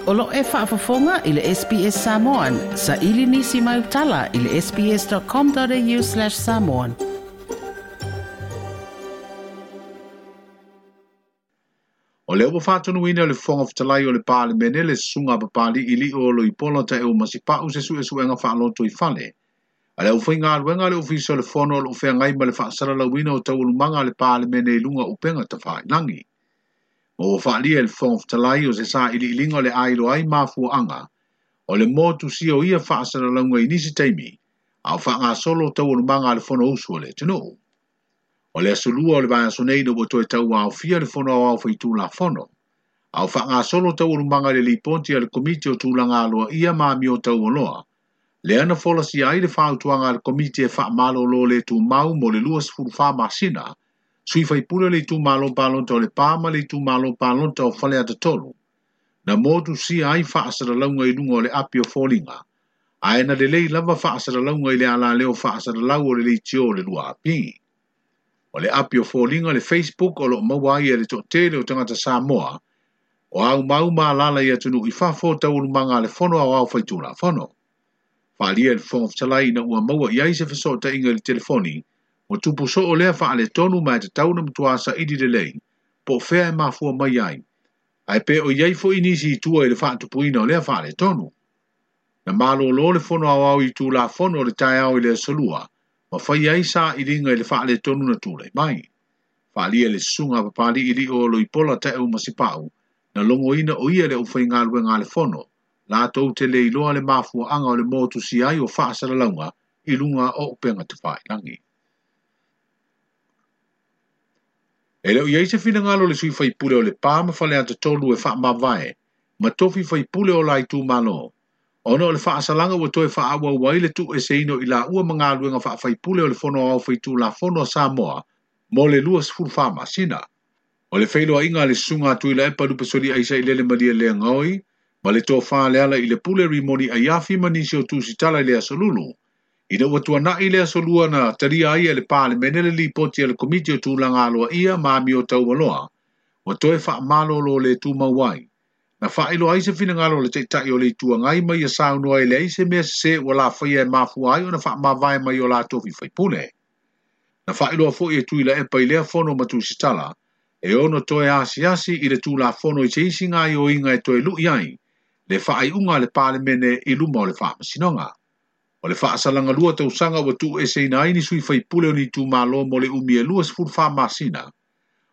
O lo e faafofoga i le SBS Samoan. Sa ili nisi mai utala i le sbs.com.au/samoan. O lea ua faatonuina le Fofoga Fetalai o le Palemene le susuga a Papali'i o Loipola Taeu Masipau se suesuega faaloto i fale. A le aufaigaluega a le Ofisa o le Fono o lo o feagai ma le faasalalauina o taualumaga a le Palemene i luga o upega tafailagi. Ma ua faalia e le Fofoga Fetalai o se sailiiliga o le a iloa ai mafuaaga o le motusia o ia faasalalauga i nisi taimi a o faagasolo taualumaga a le Fonousu a le atunuu. O le aso lua o le vaiaso nei ina ua toe tauaofia le Fono Aoao Faitulafono, a o faagasolo taualumaga i le lipoti a le Komiti o Tulaga Aloaia ma Amio Taualoa, lea na folasia ai le fautuaga a le Komiti e faamalolo le tumau mo le 24 masina, sui faipule o le itumalo palota o Lepa ma le itumalo palota o Faleata 3, na motusia ai faasalalauga i luga o le api o foliga, ae na lelei lava faasalalauga i le alaleo faasalalau o le leitio o le 2AP. O le api o foliga le Facebook o lo o maua ai e le toatele o tagata Samoa, o aumau ma alala i atunuu i fafo taualumaga a le Fono Aoao Faitulafono. Faalia e le Fofoga Fetalai ina ua maua i ai se fesootaiga i le telefoni, ua tupu soo lea faaletonu ma e tatau na matua saili lelei, po o fea e mafua mai ai, ae pe o i ai foi nisi i tua i le faatupuina o lea faaletonu. Na malolo le Fono Aoao i Tulafono o le taeao i le aso lua, ma fai ai sailiga i le faaletonu na tulai mai. Faalia le susuga a Papali'i o Loipola Taeu Masipau, na logoina o ia le aufaigaluega a le Fono, latou te le iloa le mafuaaga o le motusia ai o faasalalauga i luga o upega tafailagi. E le o i ai se finagalo o le sui faipule o Lepa ma Faleata 3 e faamavae ma tofi faipule o la itumalo, ona o le faasalaga ua toe faaauau ai le tuueseina o i laua ma galuega faafaipule o le Fono Aoao Faitulafono a Samoa mo le 24 masina. O le feiloaiga a le susuga a Tuilaepa Lupesoli Aisailele Malia Leagaoi ma le tofa le ala i le pule Rimoni Aiafi ma nisi o tusitala i le aso Lulu. Ina ua tuanai le aso lua na talia ai e le Palemene le lipoti a le Komiti o Tulaga Aloaia ma Amio Taualoa, ua toe faamalolo le tumau ai. Na faailoa ai se finagalo o le taitai o le Itu Agai ma ia saunoa e leai se mea sese ua lafaia e mafua ai ona faamavae mai o latou faipule. Na faailoa foi e Tuilaepa i lea fono ma tusitala, e ono toe asiasi i le Tulafono i se isi gaoioiga e toe lui ai le faaiuga a le Palemene i luma o le Faamasinoga. O le faasalaga lua tausaga ua tuueseina ai ni sui faipule o ni itumalo mo le umi e 24 masina.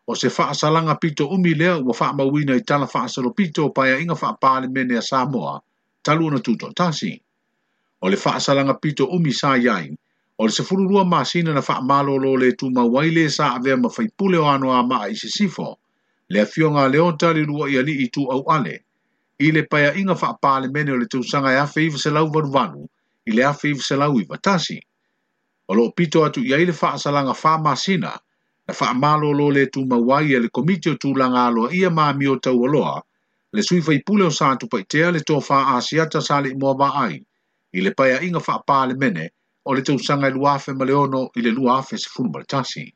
O se faasalaga pito umi lea ua faamauina i tala faasalopito o paeaiga faapalemene a Samoa talu ona tutoatasi. O le faasalaga pito umi sa i ai, o le 12 masina na faamalolo le tumau ai le sa avea ma faipule o Anoamaa i Sisifo, le afioga a Leota le Lua'i Alii Tuauale, i le paeaiga faapalemene o le tausaga e 1988 i le 1991. O lo o pito atu i ai le faasalaga 4 masina na faamalolo le tumau ai e le Komiti o Tulaga Aloaia ma Amio Taualoa, le sui faipule o Satupaitea le tofa Asiata Saleimoa Vaai, i le paeaiga faapalemene o le tausaga e 2006 i le 2011.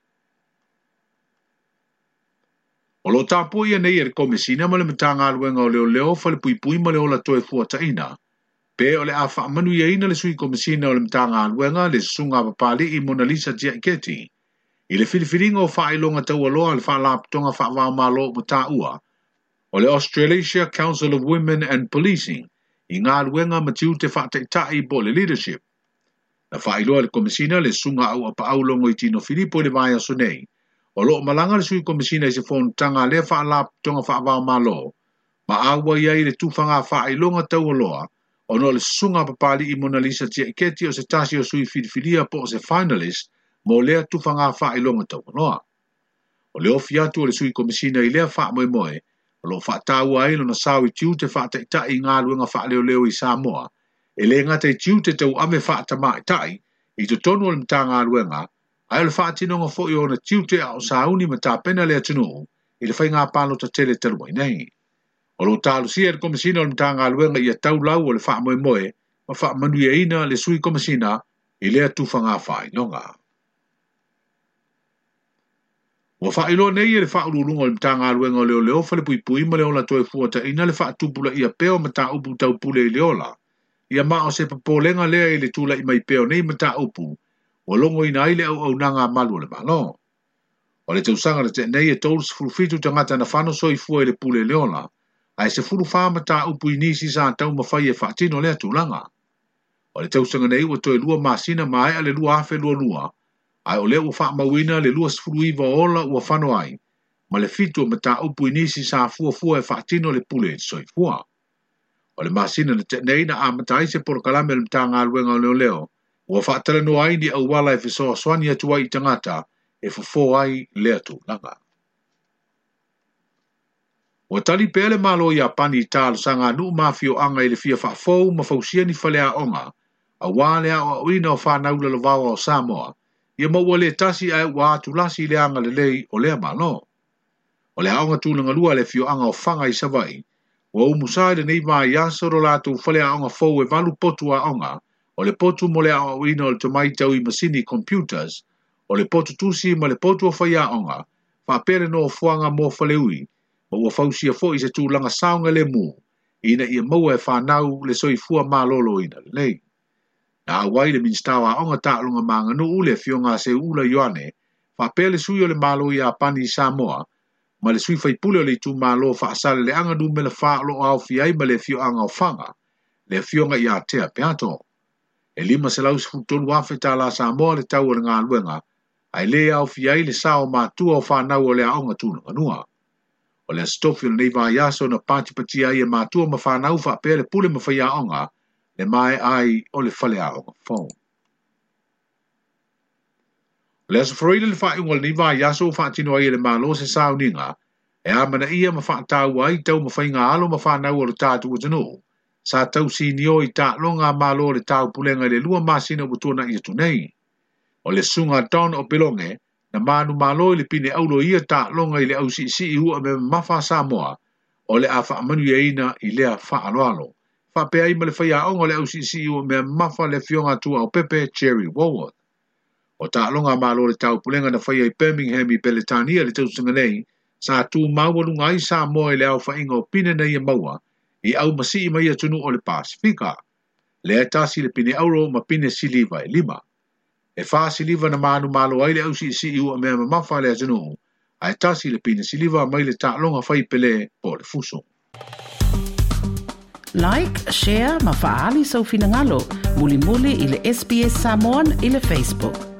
O lo o tapuaia nei e le Komesina ma le Matagaluega o Leoleo Falepuipui ma le Ola Toe Fuataina, pe o le a faamanuiaina le sui komesina o le Matagaluega le susuga a Papali'i Monalisa Tiaiketi, i le filifiliga o faailoga taualoa a le Faalapotopotoga Faavaomalo ua taua, o le Australasia Council of Women and Policing, i galuega ma tiute faataitai po o le leadership. Na faailoa le Komesina le susuga au apaau Logoitino Filipo i le vaiaso nei, o lo o malaga le sui komesina i se fonotaga a lea Faalapotopotoga Faavaomalo, ma auai ai le tufaga faailoga taualoa, ona o le susuga a Papali'i Monalisa Tiaiketi o se tasi o sui filifilia po o se finalist mo lea tufaga faailoga taualoa. O le ofi atu o le sui komesina i lea faamoemoe, o lo o faataua ai lona sao i tiute faataitai i galuega faaleoleo i Samoa, e le gata i tiute tauave faatamaitai i totonu o le Matagaluega, ae o le faatinoga foi o ona tiute a o sauni ma tapena le atunuu i le faiga palota tele talu ai nei. O lo o talosia e le Komesina o le Matagaluega ia taulau o le faamoemoe ma faamanuiaina le sui komesina i lea tufaga faailoga. Ua faailoa nei e le Faauluuluga o le Matagaluega o Leoleo, Falepuipui ma le Ola Toefuataiga le faatupulaia pea o mataupu tau pule i le ola. Ia ma o se popolega lea i le tulai mai pea o nei mataupu ua logoina ai le auaunaga a malu o le Malo. O le tausaga na tea nei e 37 tagata na fano soifua i le pule i le ola, ae 14 mataupu i nisi sa taumafai e faatino lea tulaga. O le tausaga nei ua toe 2 masina maea le 2022, ae o lea ua faamauina le 29 o ola ua fano ai, ma le 7 o mataupu i nisi sa fuafua e faatino le pule i le soifua. O le masina na tea nei na amata ai se polokalame o le Matagaluega o Leoleo, ua faatalanoa ai ni auala e fesoasoani atu ai i tagata e fofo ai lea tulaga. Ua tali pea le Malo Iapani i talosaga a nuu ma afioaga i le fia faafou ma fausia ni faleaoga, auā le aoaoina o fanau lalovaoa o Samoa, ia ma ua le tasi ae ua atulasi i le agalelei o lea Malo. O le aoga tulagalua a le afioaga o Faga i Savaii, ua umusa i lenei vaiaso lo latou faleaoga fou e 8 potu aoga, o le potu mo le aoaoina o le tomai tau i masini computers, o le potu tusi ma le potu o faiaoga, faapea le nofoaga mo faleui, ma ua fausia foi se tulaga saogalemu, ina ia maua e fanau le soifua maloloina lelei. Na auai le Minisita o Aoga Taaloga ma Aganuu le afioga a Seuula Ioane, faapea le sui o le Malo Iapani i Samoa, ma le sui faipule o le itumalo Faasaleleaga numera 4 o loo aofia ai ma le afioaga o Faga, le afioga ia Tea Peato. E $513,000 tala Samoa le tau o le galuega, ae le aofia ai le sao matua o fanau o le aoga tulagalua. O le aso tofi o lenei vaiaso na patipatia ai e matua ma fanau faapea le pule ma faiaoga, le maea ai o le faleaoga fou. O le aso Faraile le faaiuga o lenei vaiaso ua faatino ai e le Malo se sauniga, e amanaia ma faataua ai taumafaiga alo ma fanau o le tatou atunuu, sa tausinio i taaloga a Malo o le Taupulega i le 2 masina ua tuanai atu nei. O le susuga Don Opeloge, na manumalo i le pine aulo i ia taaloga i le ausiisii ua me mamafa a Samoa, o le a faamanuiaina i lea faaaloalo. Faapea ai ma le faiaoga o le ausiisii ua mea mamafa le afioga a Tuaopepe Jerry Walworth. O taaloga a Malo o le Taupulega na faia i Birmingham i Peretania le tausaga nei, sa tumaualuga ai Samoa i le aofaiga o pine na ia maua i aumasii mai atunuu o le Pasifika. Lea e tasi le pine auro ma pine siliva e 5. E 4 siliva na manumalo ai le ausiisii ua mea mamafa le atunuu, ae tasi le pine siliva mai le taaloga fai pele po le fuso. Like, share ma faali sau finagalo, mulimuli i le SBS Samoan i le Facebook.